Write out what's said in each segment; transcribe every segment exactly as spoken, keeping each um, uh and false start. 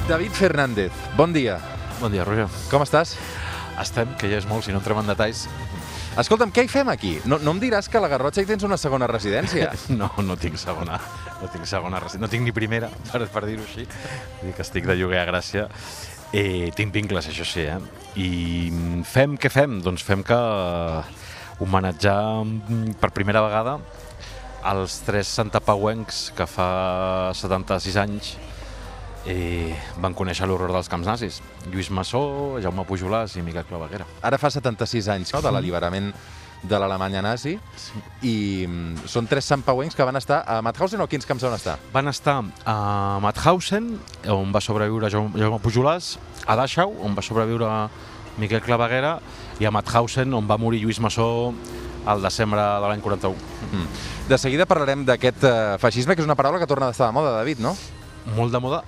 David Fernández, bon dia. Bon dia, Roger. Com estàs? Estem, que ja és molt, si no entrem en detalls. Escolta'm, què hi fem aquí? No, no em diràs que a la Garrotxa hi tens una segona residència? No, no tinc segona. No tinc segona residència. No tinc ni primera, per, per dir-ho així. Vull dir que estic de lloguer a Gràcia. Eh, tinc vincles, això sí, eh? I fem, què fem? Doncs fem que homenatjar per primera vegada els tres santapauencs que fa setanta-sis anys eh, van conèixer l'horror dels camps nazis. Lluís Massó, Jaume Pujolàs i Miquel Claveguera. Ara fa setanta-sis anys, no?, de l'alliberament de l'Alemanya nazi, sí. I són tres santpauencs que van estar a Mauthausen, o quins camps van estar? Van estar a Mauthausen, on va sobreviure Jaume Pujolàs, a Dachau, on va sobreviure Miquel Claveguera, i a Mauthausen, on va morir Lluís Massó al desembre de l'any quaranta-u. Mm. De seguida parlarem d'aquest uh, feixisme, que és una paraula que torna a estar de moda, David, no? Molt de moda,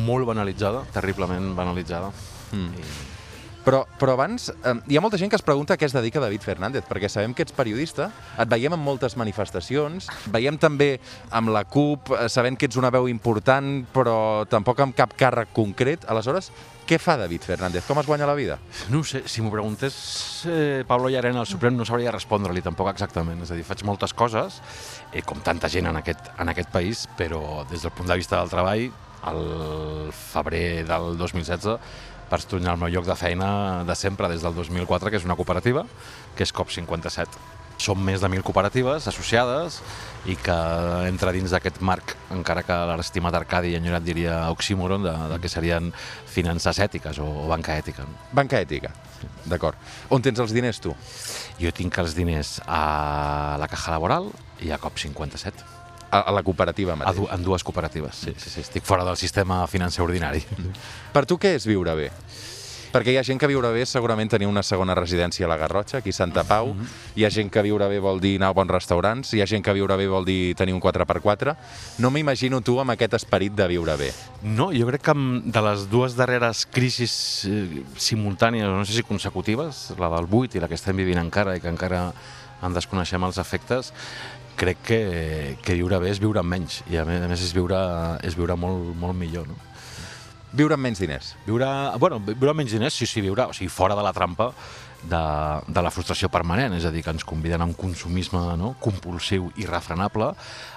molt banalitzada, terriblement banalitzada. Mm. I... Però, però abans, eh, hi ha molta gent que es pregunta a què es dedica David Fernández, perquè sabem que ets periodista, et veiem en moltes manifestacions, veiem també amb la CUP, eh, sabent que ets una veu important, però tampoc amb cap càrrec concret. Aleshores, què fa David Fernández? Com es guanya la vida? No ho sé, si m'ho preguntés eh, Pablo Llarena al Suprem no sabria respondre-li tampoc exactament. És a dir, faig moltes coses, eh, com tanta gent en aquest, en aquest país, però des del punt de vista del treball, al febrer del dos mil setze, vaig tornar al meu lloc de feina de sempre, des del dos mil quatre, que és una cooperativa, que és COP cinquanta-set. Som més de mil cooperatives associades i que entra dins d'aquest marc, encara que l'estimat Arcadi enyorat diria oxímoron, de, de que serien finances ètiques o, o banca ètica. No? Banca ètica, sí. D'acord. On tens els diners, tu? Jo tinc els diners a la Caja Laboral i a COP cinquanta-set. A, a la cooperativa mateix? Du en dues cooperatives, sí, sí, sí. Estic fora del sistema financer ordinari. Per tu què és viure bé? Perquè hi ha gent que viure bé és segurament tenir una segona residència a la Garrotxa, aquí a Santa Pau. Mm-hmm. Hi ha gent que viure bé vol dir anar a bons restaurants. Hi ha gent que viure bé vol dir tenir un quatre per quatre. No m'imagino tu amb aquest esperit de viure bé. No, jo crec que de les dues darreres crisis eh, simultànies, no sé si consecutives, la del vuit i la que estem vivint encara i que encara en desconeixem els efectes, crec que, que viure bé és viure amb menys i a més és viure, és viure molt, molt millor, no? Viure amb menys diners? Viure, bueno, viure amb menys diners, sí, sí, viure, o sigui, fora de la trampa de, de la frustració permanent, és a dir, que ens conviden a un consumisme, no?, compulsiu i irrefrenable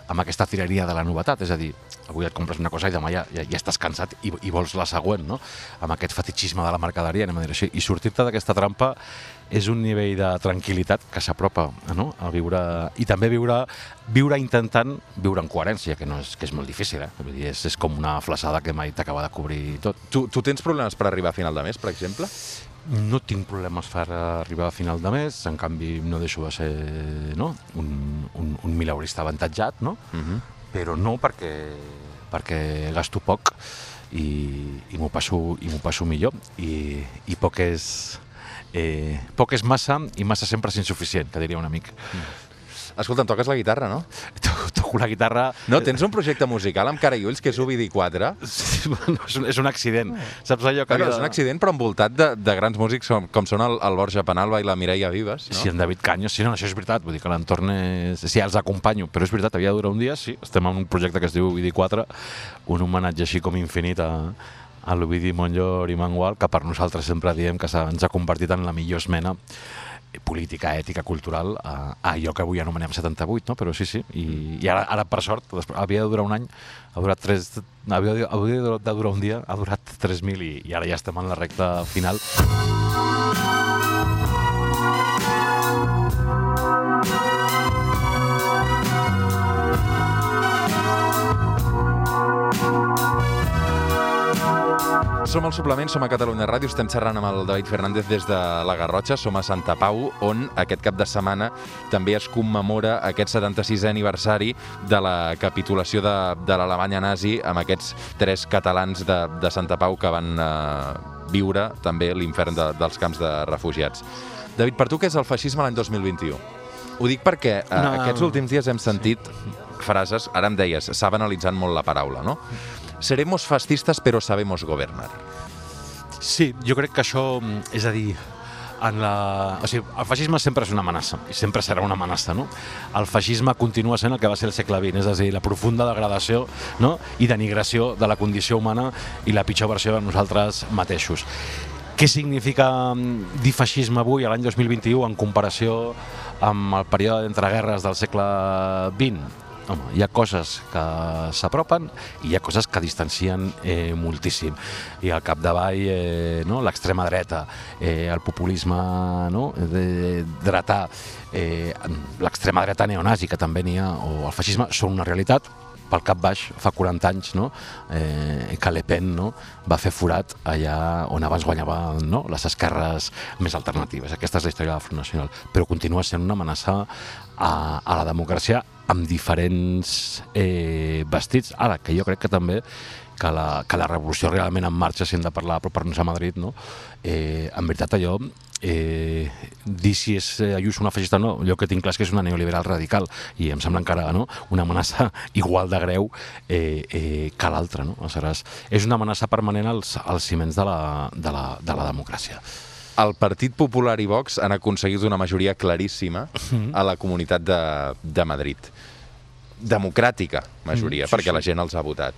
amb aquesta tireria de la novetat, és a dir, avui et compres una cosa i demà ja, ja, ja estàs cansat i, i vols la següent, no?, amb aquest fetichisme de la mercaderia, anem a dir així, i sortir-te d'aquesta trampa és un nivell de tranquil·litat que s'apropa, no?, a viure, i també viure, viure intentant viure en coherència, que, no és, que és molt difícil, eh? Vull dir, és, és com una flaçada que mai t'acaba de cobrir tot. Tu, tu tens problemes per arribar a final de mes, per exemple? No tinc problemes per arribar a final de mes, en canvi no deixo de ser, no?, un, un, un mileurista avantatjat, no? Uh-huh. Però no perquè, perquè gasto poc i, i m'ho passo, i m'ho passo millor i, i poc és... Eh, poc és massa i massa sempre és insuficient, que diria un amic. Mm. Escolta, em toques la guitarra, no? Toco la guitarra... No, tens un projecte musical amb cara i ulls que és Ovidi quatre. Sí, bueno, és, un, és un accident. Saps allò que... Bueno, és un accident, però envoltat de, de grans músics com, com són el, el Borja Penalba i la Mireia Vives, no? Sí, en David Caños, sí, no, això és veritat. Vull dir que l'entorn és... Sí, els acompanyo, però és veritat, havia de durar un dia, sí. Estem en un projecte que es diu Ovidi quatre, un homenatge així com infinit a... a l'Ovidi Montllor i Mangual, que per nosaltres sempre diem que ens ha convertit en la millor esmena política, ètica, cultural, a, a allò que avui anomenem setanta-vuit, no? Però sí, sí, i, i ara, ara per sort, havia de durar un any, ha durat tres, havia, havia de durar un dia, ha durat tres mil i, i ara ja estem en la recta final. Som al Suplement, som a Catalunya Ràdio, estem xerrant amb el David Fernández des de la Garrotxa, som a Santa Pau, on aquest cap de setmana també es commemora aquest setanta-sisè aniversari de la capitulació de, de l'Alemanya nazi amb aquests tres catalans de, de Santa Pau que van eh, viure també l'infern de, dels camps de refugiats. David, per tu què és el feixisme l'any dos mil vint-i-u? Ho dic perquè eh, no. aquests últims dies hem sentit frases, ara em deies, s'ha banalitzat molt la paraula, no? Seremos fascistas però sabemos governar. Sí, jo crec que això, és a dir, en la... o sigui, el feixisme sempre és una amenaça, i sempre serà una amenaça, no? El feixisme continua sent el que va ser el segle vint, és a dir, la profunda degradació, no? I denigració de la condició humana i la pitjor versió de nosaltres mateixos. Què significa dir feixisme avui, a l'any dos mil vint-i-u, en comparació amb el període d'entreguerres del segle vint? Home, hi ha coses que s'apropen i hi ha coses que distancien eh, moltíssim. I al capdavall eh, no? l'extrema dreta, eh, el populisme no? de, dretà, eh, l'extrema dreta neonazi, que també n'hi ha, o el feixisme, són una realitat. Pel cap baix, fa quaranta anys, no? eh, que Le Pen no? va fer forat allà on abans guanyaven no? les esquerres més alternatives. Aquesta és la història del Front Nacional, però continua sent una amenaça a, a la democràcia amb diferents eh, vestits. Ara, que jo crec que també que la, que la revolució realment en marxa, si hem de parlar per parlar a Madrid, no? eh, en veritat allò, eh, dir si és Ayuso una feixista o no, jo que tinc clar és que és una neoliberal radical i em sembla encara no? una amenaça igual de greu eh, eh, que l'altra. No? Aleshores, és una amenaça permanent als, als ciments de la, de, la, de la democràcia. El Partit Popular i Vox han aconseguit una majoria claríssima a la Comunitat de, de Madrid. Democràtica majoria, mm, sí, perquè sí. La gent els ha votat.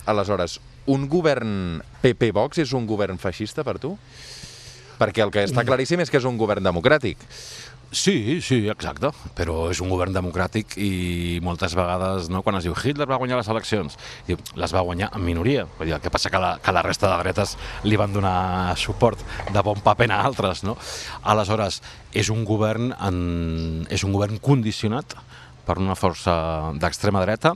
Aleshores, un govern P P-Vox és un govern feixista per tu? Perquè el que està claríssim és que és un govern democràtic. Sí, sí, exacte, però és un govern democràtic i moltes vegades, no, quan es diu Hitler va guanyar les eleccions, diu, les va guanyar en minoria. El que passa que la, que la resta de dretes li van donar suport de bon paper a altres. No? Aleshores, és un govern, en, és un govern condicionat per una força d'extrema dreta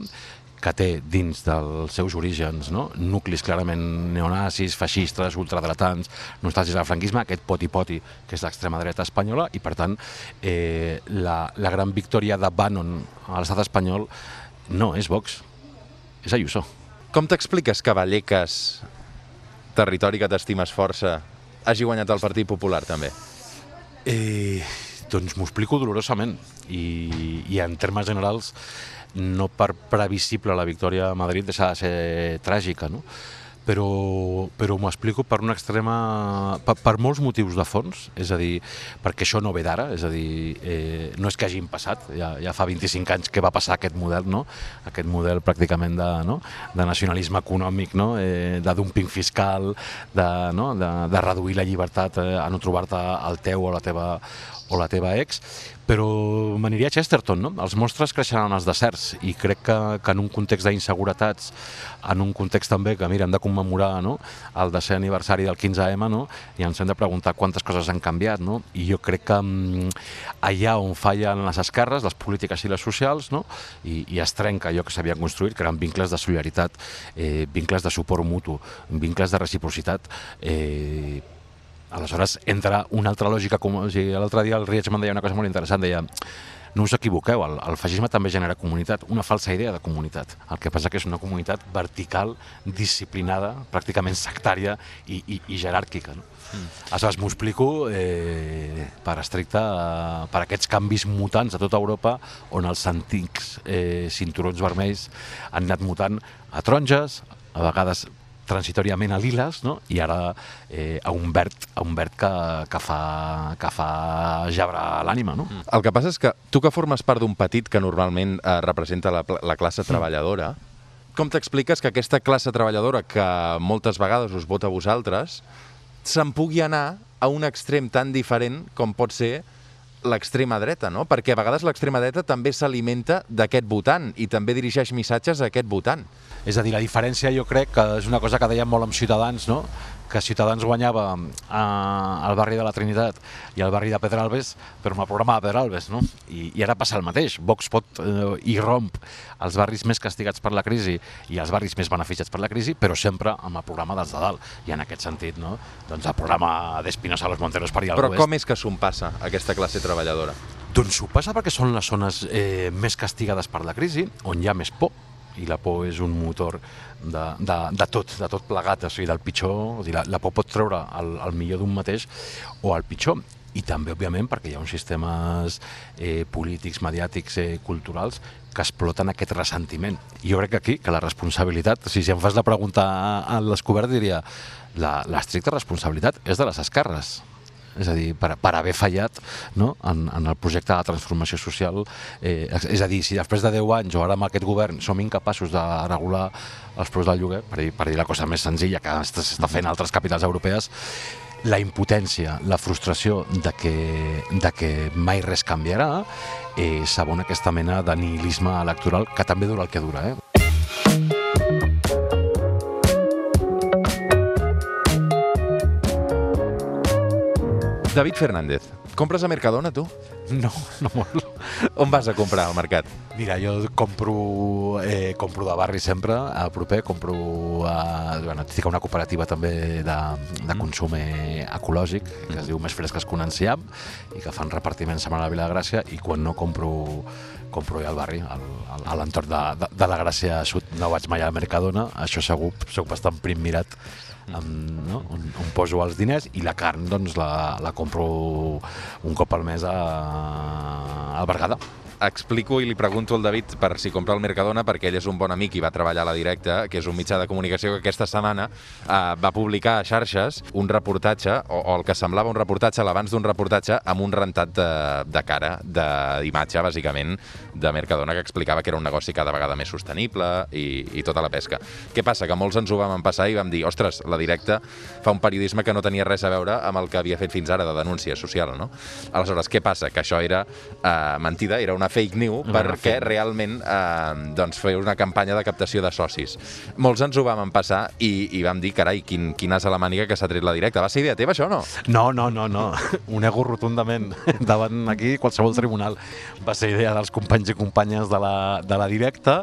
que té dins dels seus orígens no? nuclis clarament neonazis, feixistes, ultradretans, nostàlgics del franquisme, aquest poti-poti que és l'extrema dreta espanyola, i per tant eh, la, la gran victòria de Bannon a l'estat espanyol no és Vox, és Ayuso. Com t'expliques que Vallecas, territori que t'estimes força, hagi guanyat el Partit Popular també? Eh, doncs m'ho explico dolorosament i, i en termes generals no per previsible la victòria a Madrid deixa de ser tràgica, no? però, però m'ho explico per una extrema... Per, per molts motius de fons, és a dir, perquè això no ve d'ara, és a dir, eh, no és que hagin passat, ja, ja fa vint-i-cinc anys que va passar aquest model, no? Aquest model pràcticament de, no? de nacionalisme econòmic, no? eh, de dumping fiscal, de, no? de, de reduir la llibertat eh, a no trobar-te al teu o la teva o la teva ex, però m'aniria a Chesterton, no? Els monstres creixeran als deserts i crec que, que en un context d'inseguretats, en un context també que, mira, hem de commemorar no? el desè aniversari del quinze eme no? i ens hem de preguntar quantes coses han canviat, no? I jo crec que mm, allà on fallen les esquerres, les polítiques i les socials, no? I, i es trenca allò que s'havia construït, que eren vincles de solidaritat, eh, vincles de suport mutu, vincles de reciprocitat, eh, aleshores entra una altra lògica, com o sigui, l'altre dia el Rietzmann deia una cosa molt interessant, deia no us equivoqueu, el, el feixisme també genera comunitat, una falsa idea de comunitat, el que passa que és una comunitat vertical, disciplinada, pràcticament sectària i, i, i jeràrquica. No? Mm. Aleshores m'ho explico eh, per estricte, eh, per aquests canvis mutants a tota Europa on els antics eh, cinturons vermells han anat mutant a taronges, a vegades transitòriament a liles, no? I ara eh, a un verd, a un verd que, que fa, que fa gebre l'ànima. No? Mm. El que passa és que tu que formes part d'un petit que normalment eh, representa la, la classe treballadora, mm. com t'expliques que aquesta classe treballadora que moltes vegades us vota a vosaltres se'n pugui anar a un extrem tan diferent com pot ser l'extrema dreta, no? Perquè a vegades l'extrema dreta també s'alimenta d'aquest votant i també dirigeix missatges a aquest votant. És a dir, la diferència jo crec que és una cosa que dèiem molt amb Ciutadans, no? Que Ciutadans guanyava a, al barri de la Trinitat i al barri de Pedralbes, però amb el programa de Pedralbes, no? I, i ara passa el mateix. Vox pot eh, irromp els barris més castigats per la crisi i els barris més beneficiats per la crisi, però sempre amb el programa dels de dalt. I en aquest sentit, no? Doncs el programa d'Espinosa a los Monteros per allà al Però com és que s'ho passa aquesta classe treballadora? Doncs ho passa perquè són les zones eh, més castigades per la crisi, on hi ha més por, i la por és un motor de, de, de tot, de tot plegat, o sigui, del pitjor, o sigui, la, la por pot treure el, el millor d'un mateix o el pitjor. I també, òbviament, perquè hi ha uns sistemes eh, polítics, mediàtics, eh, culturals que exploten aquest ressentiment. I jo crec que aquí, que la responsabilitat, o sigui, si em fas la pregunta al descobert, diria la l'estricta responsabilitat és de les esquerres. és a dir, per, per haver fallat, no? en, en el projecte de transformació social. Eh, és a dir, si després de deu anys o ara amb aquest govern som incapaços de regular els preus del lloguer, per dir, per dir la cosa més senzilla que s'està fent a altres capitals europees, la impotència, la frustració de que, de que mai res canviarà, eh, s'abona aquesta mena de nihilisme electoral que també dura el que dura. Eh? David Fernández, compres a Mercadona, tu? No, no molt. On vas a comprar al mercat? Mira, jo compro, eh, compro de barri sempre, al proper, compro a, bueno, estic a una cooperativa també de, de consum ecològic, que es diu Més Fresques que un enciam, i que fan repartiment setmana a la Vila de Gràcia, i quan no compro, compro ja al barri, al, al, a l'entorn de, de, de la Gràcia Sud. No vaig mai a Mercadona, això segur, soc bastant prim mirat, amb, no? on, on poso els diners, i la carn doncs la, la compro un cop al mes a, al Berguedà. Explico i li pregunto al David per si compra al Mercadona, perquè ell és un bon amic i va treballar a La Directa, que és un mitjà de comunicació que aquesta setmana eh, va publicar a xarxes un reportatge, o, o el que semblava un reportatge, l'abans d'un reportatge, amb un rentat de, de cara, d'imatge, bàsicament, de Mercadona, que explicava que era un negoci cada vegada més sostenible i, i tota la pesca. Què passa? Que molts ens ho vam empassar i vam dir, ostres, La Directa fa un periodisme que no tenia res a veure amb el que havia fet fins ara de denúncia social, no? Aleshores, què passa? Que això era eh, mentida, era una fake news, no, perquè no, realment eh, doncs feia una campanya de captació de socis. Molts ens ho vam empassar i, i vam dir, carai, quin, quin as a la màniga que s'ha tret La Directa. Va ser idea teva, això, o no? No, no, no, no. Ho nego rotundament. Davant aquí, qualsevol tribunal. Va ser idea dels companys i companyes de la, de la Directa,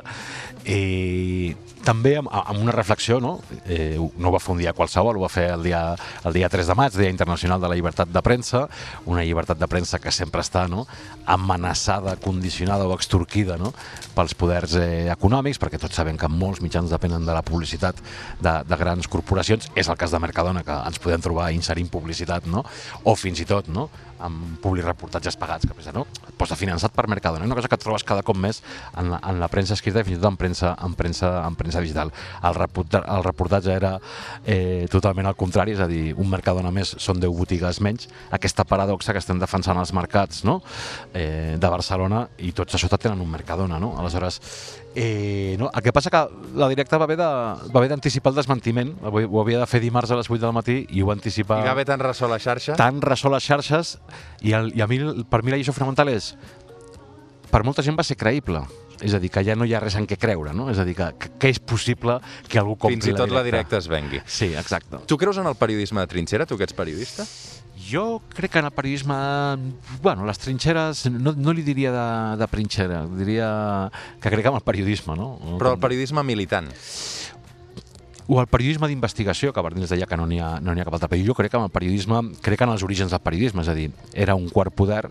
i també amb, amb una reflexió, no? Eh, no ho va fer un dia qualsevol, ho va fer el dia, el dia tres de maig, Dia Internacional de la Llibertat de Premsa, una llibertat de premsa que sempre està, no?, amenaçada, condicionada o extorquida, no?, pels poders eh, econòmics, perquè tots sabem que molts mitjans depenen de la publicitat de, de grans corporacions. És el cas de Mercadona, que ens podem trobar inserint publicitat, no?, o fins i tot, no?, amb publireportatges pagats, que no? Posa finançat per Mercadona. Una cosa que trobes cada cop més en la, en la premsa escrita i fins i tot en premsa, en premsa, en premsa digital. El, reporta, el reportatge era eh, totalment al contrari, és a dir, un Mercadona més són deu botigues menys. Aquesta paradoxa que estem defensant als mercats, no?, eh, de Barcelona, i tots a sota tenen un Mercadona, no? Aleshores, eh, no? El que passa que La Directa va haver de, va haver d'anticipar el desmentiment, ho havia de fer dimarts a les vuit del matí i ho va anticipar... I va haver tan ressò a la xarxa? Tan ressò a les xarxes, i, el, i a mi, per mi la lliçó fonamental és, per molta gent va ser creïble, és a dir, que ja no hi ha res en què creure, no? És a dir, que, que, que és possible que algú compri Fins i tot La Directa es vengui. Sí, exacte. Tu creus en el periodisme de trinxera, tu que ets periodista? Jo crec que en el periodisme, bueno, les trinxeres, no, no li diria de, de trinxera, diria que crec en el periodisme, no? Però el periodisme militant. O el periodisme d'investigació, que Bardins deia que no n'hi ha, no n'hi ha cap altre. Però jo crec en el periodisme, crec en els orígens del periodisme, és a dir, era un quart poder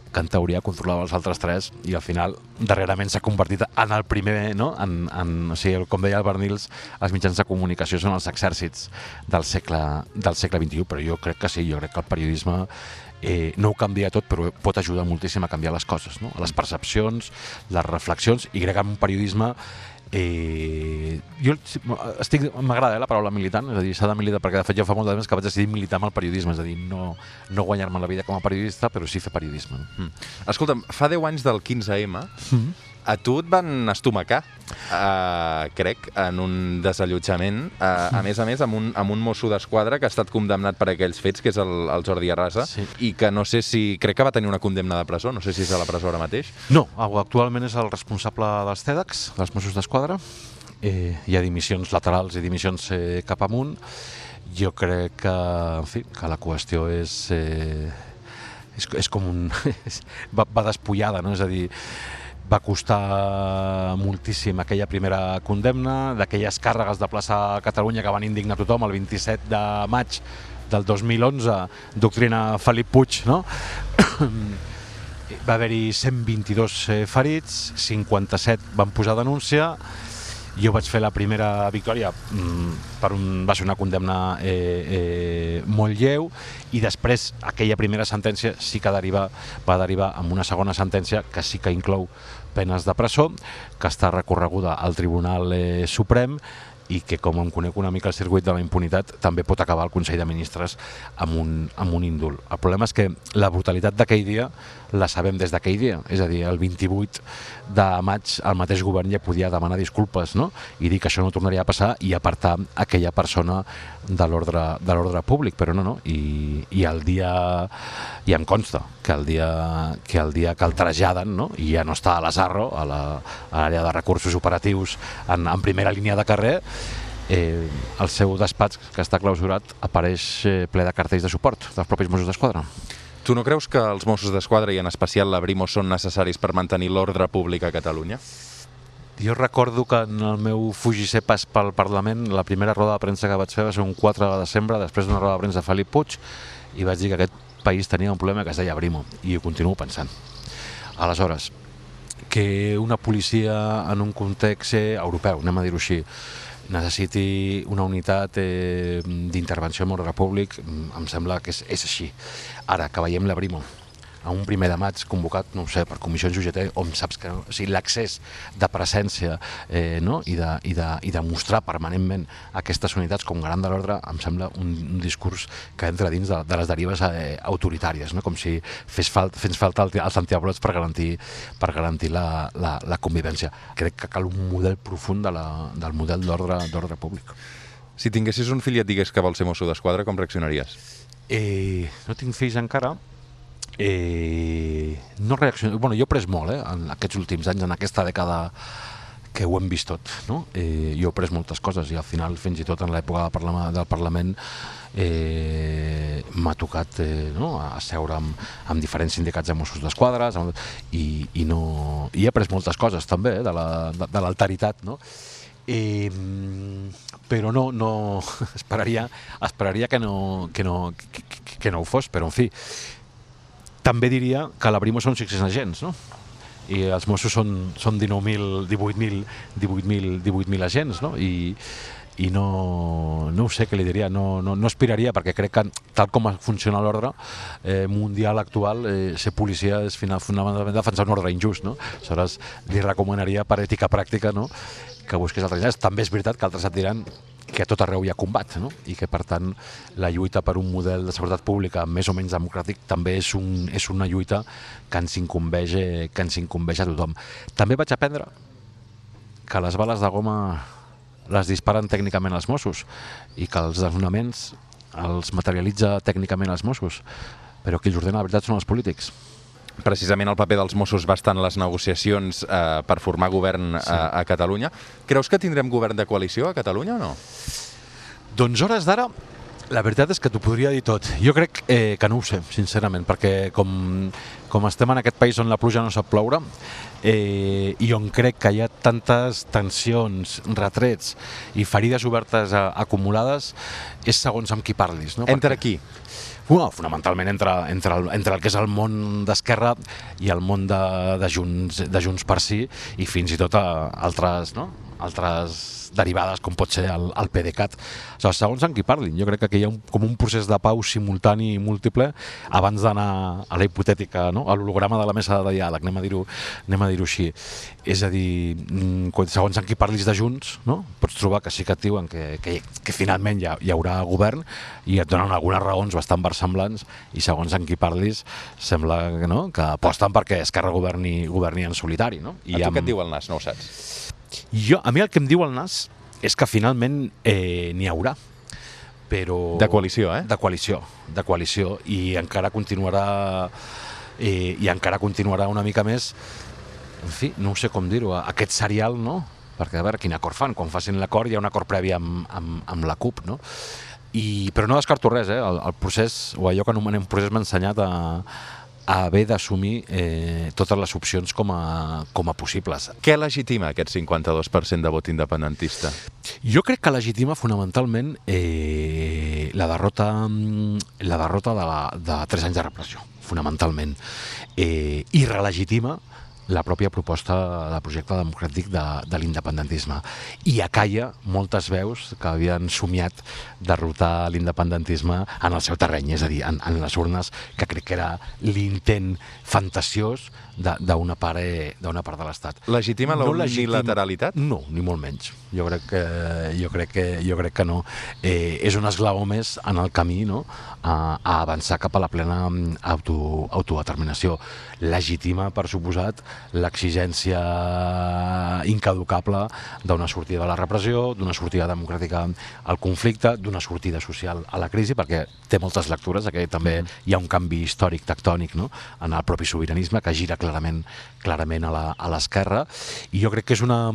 que en teoria controlava els altres tres i al final darrerament s'ha convertit en el primer, no? En, en, o sigui, com deia el Bernils, els mitjans de comunicació són els exèrcits del segle, del segle vint-i-u, però jo crec que sí, jo crec que el periodisme eh, no ho canvia tot, però pot ajudar moltíssim a canviar les coses, no? Les percepcions, les reflexions, i crec en un periodisme Eh, jo estic, m'agrada eh, la paraula militant, és a dir, s'ha de militar, perquè de fet jo fa molt de temps que vaig decidir militar amb el periodisme, és a dir, no, no guanyar-me la vida com a periodista, però sí fer periodisme. Mm. Escolta'm, fa deu anys del quinze ema, mm. a tu et van estomacar, uh, crec, en un desallotjament, uh, a més a més amb un, amb un mosso d'esquadra que ha estat condemnat per aquells fets, que és el, el Jordi Arrasa, sí. I que no sé si, crec que va tenir una condemna de presó, no sé si és a la presó ara mateix. No, actualment és el responsable dels TEDx, dels Mossos d'Esquadra. Eh, hi ha dimissions laterals i dimissions eh, cap amunt. Jo crec que, en fi, que la qüestió és, eh, és, és com un... va, va despullada, no? És a dir, va costar moltíssim aquella primera condemna, d'aquelles càrregues de plaça Catalunya que van indignar tothom el vint-i-set de maig del dos mil onze, doctrina Felip Puig, no? Va haver-hi cent vint-i-dos ferits, cinquanta-set van posar denúncia. Jo vaig fer la primera victòria, per un, va ser una condemna eh, eh, molt lleu, i després aquella primera sentència sí que deriva, va derivar en una segona sentència que sí que inclou penes de presó, que està recorreguda al Tribunal eh, Suprem, i que, com em conec una mica el circuit de la impunitat, també pot acabar el Consell de Ministres amb un, amb un índol. El problema és que la brutalitat d'aquell dia la sabem des d'aquell dia, és a dir, el vint-i-vuit de maig el mateix govern ja podia demanar disculpes, no? I dir que això no tornaria a passar i apartar aquella persona de l'ordre de l'ordre públic, però no, no, i, i el dia, i em consta que el dia que el dia que el traslladen, no? I ja no està a l'Azarro, a l'àrea de recursos operatius en, en primera línia de carrer, eh, el seu despatx, que està clausurat, apareix eh, ple de cartells de suport dels propis Mossos d'Esquadra. Tu no creus que els Mossos d'Esquadra i en especial la Brimo són necessaris per mantenir l'ordre públic a Catalunya? Jo recordo que en el meu fugir pas pel Parlament la primera roda de premsa que vaig fer va ser un quatre de desembre, després d'una roda de premsa de Felip Puig, i vaig dir que aquest país tenia un problema que es deia Brimo, i ho continuo pensant. Aleshores, que una policia en un context europeu, anem a dir-ho així, necessiti una unitat eh, d'intervenció en ordre públic, em sembla que és, és així. Ara, que veiem la Brimo a un primer de maig convocat, no ho sé, per comissions U G T, on saps que no, o sigui, l'accés de presència eh, no? I, de, i, de, i de mostrar permanentment aquestes unitats com garant de l'ordre, em sembla un, un discurs que entra dins de, de les derives eh, autoritàries, no? Com si fes, falt, fes falta els antiavalots per garantir, per garantir la, la, la convivència. Crec que cal un model profund de la, del model d'ordre públic. Si tinguessis un fill i et digués que vol ser mosso d'esquadra, com reaccionaries? Eh, no tinc fills encara. Eh, no reacciono, bueno, jo he pres molt eh, en aquests últims anys, en aquesta dècada que ho hem vist tot, no? Eh, jo he pres moltes coses i al final fins i tot en l'època del Parlament eh, m'ha tocat eh, no? a seure amb, amb diferents sindicats de Mossos d'Esquadra i, i, no, i he pres moltes coses també eh, de l'alteritat, no? Eh, però no, no esperaria, esperaria que, no, que, no, que, que no ho fos, però en fi. També diria que la Brimo són sis-cents agents, no? I els Mossos són, són dinou mil, divuit mil, divuit mil, divuit mil agents, no? I, i no, no ho sé què li diria, no, no, no aspiraria, perquè crec que tal com funciona l'ordre eh, mundial actual, eh, ser policia és fonamentalment defensar un ordre injust, no? Aleshores, li recomanaria per ètica pràctica, no?, que busqués altres idees. També és veritat que altres et diran que a tot arreu hi ha combat, no? I que, per tant, la lluita per un model de seguretat pública més o menys democràtic també és, un, és una lluita que ens incumbeix, que ens incumbeix a tothom. També vaig aprendre que les bales de goma les disparen tècnicament els Mossos i que els desnonaments els materialitza tècnicament els Mossos, però qui els ordena la veritat són els polítics. Precisament el paper dels Mossos va estar en les negociacions eh, per formar govern sí. a, a Catalunya. Creus que tindrem govern de coalició a Catalunya o no? Doncs hores d'ara, la veritat és que t'ho podria dir tot. Jo crec eh, que no ho sé, sincerament, perquè com, com estem en aquest país on la pluja no sap ploure eh, i on crec que hi ha tantes tensions, retrets i ferides obertes a, acumulades, és segons amb qui parlis. No? Entre perquè... qui? Bueno, fonamentalment entre, entre, el, entre el que és el món d'Esquerra i el món de, de, Junts, de Junts per Sí i fins i tot a altres, no? altres derivades com pot ser el, el PDeCAT. O sigui, segons en qui parlin, jo crec que aquí hi ha un, com un procés de pau simultani i múltiple abans d'anar a la hipotètica, no? a l'holograma de la mesa de diàleg, anem a dir-ho anem a dir-ho així. És a dir, segons en qui parlis de Junts, no? Pots trobar que sí que et diuen que, que, que finalment hi, ha, hi haurà govern i et donen algunes raons bastant versemblants i segons en qui parlis sembla no? que aposten perquè Esquerra governi, governi en solitari. No? I a tu amb... què et diu el nas? No ho saps? Jo, a mi el que em diu el nas és que finalment eh, n'hi haurà, però... De coalició, eh? De coalició, de coalició, i encara continuarà eh, i encara continuarà una mica més, en fi, no sé com dir-ho, aquest serial, no? Perquè a veure quin acord fan, quan facin l'acord hi ha un acord previ amb, amb, amb la CUP, no? I, però no descarto res, eh? El, el procés, o allò que anomenem procés m'ha ensenyat a a haver d'assumir eh, totes les opcions com a, com a possibles. Què legitima aquest cinquanta-dos per cent de vot independentista? Jo crec que legitima fonamentalment eh, la derrota, la derrota de, la, de tres anys de repressió, fonamentalment. Eh, I relegitima la pròpia proposta de projecte democràtic de, de l'independentisme. I acalla moltes veus que havien somiat derrotar l'independentisme en el seu terreny, és a dir, en, en les urnes, que crec que era l'intent fantasiós d'una part, d'una part de l'Estat. Legitima la unilateralitat? No, ni molt menys. Jo crec que, jo crec que, jo crec que no. Eh, és un esglaó més en el camí, no?, a, a avançar cap a la plena auto, autodeterminació. Legitima, per suposat, l'exigència incaducable d'una sortida de la repressió, d'una sortida democràtica al conflicte, d'una sortida social a la crisi, perquè té moltes lectures, que també hi ha un canvi històric tectònic, no?, en el propi sobiranisme, que gira clarament, clarament a l'esquerra, i jo crec que és una,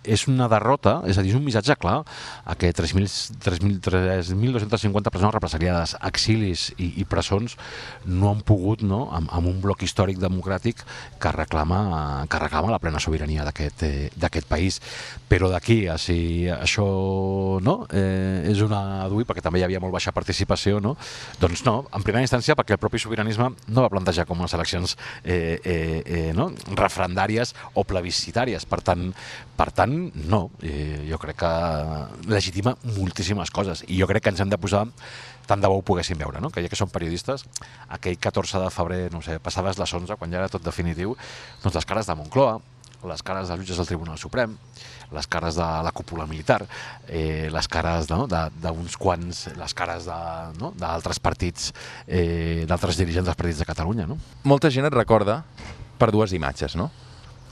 és una derrota, és a dir, és un missatge clar, a que tres mil dos-cents cinquanta persones represaliades, exilis i, i presons no han pogut, no?, amb, amb un bloc històric democràtic que reclama, que reclama la plena sobirania d'aquest eh, d'aquest país. Però d'aquí a si això, no?, eh, és una adui, perquè també hi havia molt baixa participació, no?, doncs no, en primera instància perquè el propi sobiranisme no va plantejar com unes eleccions eh, eh, eh, no?, referendàries o plebiscitàries. Per tant, per tant no, eh, jo crec que legitima moltíssimes coses, i jo crec que ens hem de posar, tant de bo ho poguéssim veure, no?, que ja que som periodistes, aquell catorze de febrer, no sé, passaves les onze, quan ja era tot definitiu, doncs les cares de Moncloa, les cares dels jutges del Tribunal Suprem, les cares de la cúpula militar, eh, les cares, no?, d'uns quants, les cares d'altres, no?, partits, eh, d'altres dirigents dels partits de Catalunya, no? Molta gent et recorda per dues imatges, no?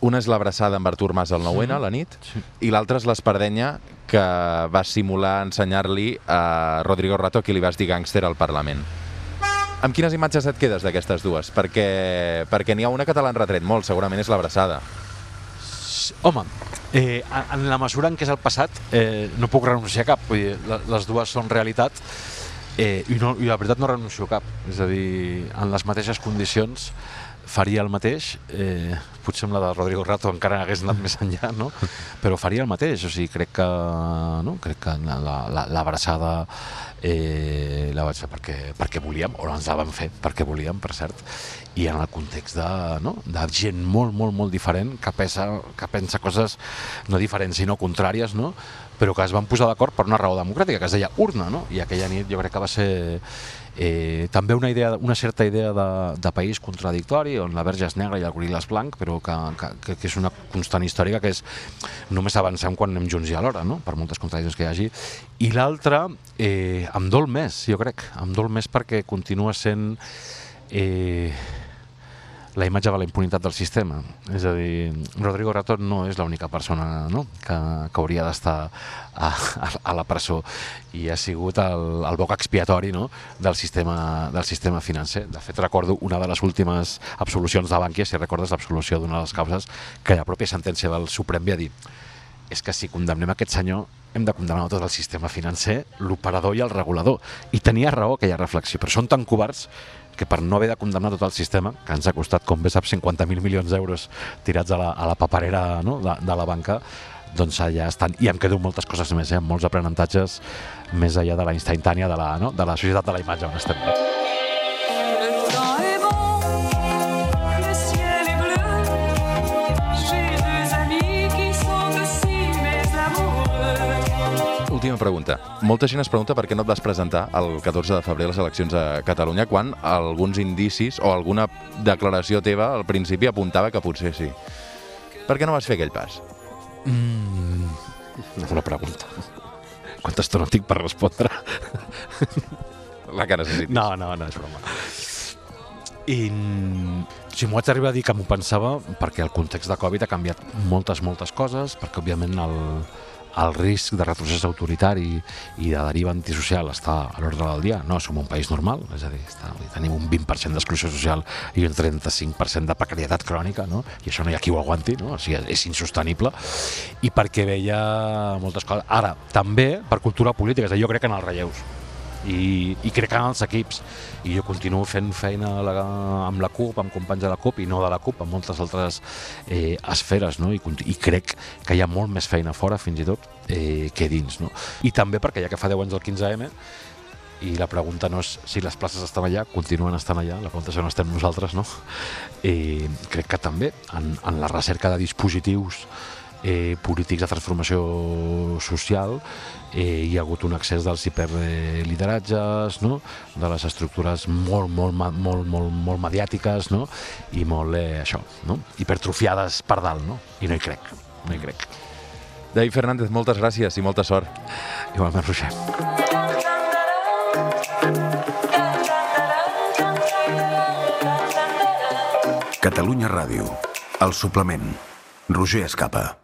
Una és l'abraçada amb Artur Mas al nou ene, a la nit, sí. I l'altra és l'espardenya que va simular ensenyar-li a Rodrigo Rato, a qui li vas dir gàngster al Parlament. Amb quines imatges et quedes d'aquestes dues? Perquè, perquè n'hi ha una que te l'han retret molt, segurament és l'abraçada. Home, eh, en la mesura en què és el passat, eh, no puc renunciar a cap. Vull dir, les dues són realitat, eh, i, no, i la veritat no renuncio a cap. És a dir, en les mateixes condicions faria el mateix, eh, potser amb la de Rodrigo Rato encara hagués anat més enllà, no?, però faria el mateix. O sigui, crec que, no? crec que l'abraçada la, la, eh, la vaig fer perquè, perquè volíem, o ens la vam fer perquè volíem, per cert, i en el context de, no?, de gent molt, molt, molt diferent, que pensa, que pensa coses no diferents, sinó contràries, no?, però que es van posar d'acord per una raó democràtica, que es deia urna, no?, i aquella nit jo crec que va ser eh, també una, idea, una certa idea de, de país contradictori, on la verge és negra i el goril·la és blanc, però que, que, que és una constant històrica, que és només avancem quan anem junts i alhora, no?, per moltes contradiccions que hi hagi. I l'altra, eh, em dol més, jo crec, em dol més perquè continua sent eh, la imatge de la impunitat del sistema. És a dir, Rodrigo Rato no és l'única persona, no?, que, que hauria d'estar a, a, a la presó, i ha sigut el, el boc expiatori, no?, del sistema, del sistema financer. De fet, recordo una de les últimes absolucions de Bankia, si recordes l'absolució d'una de les causes, que la pròpia sentència del Suprem va dir: és que si condemnem aquest senyor hem de condemnar tot el sistema financer, l'operador i el regulador. I tenia raó aquella reflexió, però són tan covards que per no haver de condemnar tot el sistema, que ens ha costat, com bé saps, cinquanta mil milions d'euros tirats a la, a la paperera, no?, de, de la banca, doncs allà estan. I em quedo moltes coses més, eh? Molts aprenentatges més enllà de la instantània de la, no?, de la societat de la imatge on estem. Última pregunta. Molta gent es pregunta per què no et vas presentar el catorze de febrer a les eleccions a Catalunya, quan alguns indicis o alguna declaració teva al principi apuntava que potser sí. Per què no vas fer aquell pas? Mm, una pregunta. Quanta estona tinc per respondre? La que necessitis. No, no, no, és broma. I si m'ho vaig arribar a dir que m'ho pensava, perquè el context de Covid ha canviat moltes, moltes coses, perquè òbviament el, el risc de retrocés autoritari i de deriva antisocial està a l'ordre del dia. No som un país normal, és a dir, està, tenim un vint per cent d'exclusió social i un trenta-cinc per cent de precarietat crònica, no? I això no hi ha qui ho aguanti, no? O sigui, és insostenible. I perquè veia moltes coses. Ara, també per cultura política, és a dir, jo crec en els relleus. I, i crec en els equips, i jo continuo fent feina la, amb la CUP, amb companys de la CUP i no de la CUP, amb moltes altres eh, esferes, no? I, i crec que hi ha molt més feina fora, fins i tot, eh, que dins, no? I també perquè ja que fa deu anys del quinze eme, i la pregunta no és si les places estan allà, continuen estant allà, la pregunta és on estem nosaltres, no? I crec que també en, en la recerca de dispositius eh, polítics de transformació social eh, hi ha hagut un accés dels hiperlideratges, no? De les estructures molt, molt, molt, molt, molt mediàtiques, no? I molt, eh, això, no? Hipertrofiades per dalt, no? I no hi crec, no hi crec. David Fernández, moltes gràcies i molta sort. Igualment, Roger. Catalunya Ràdio, el suplement. Roger Escapa.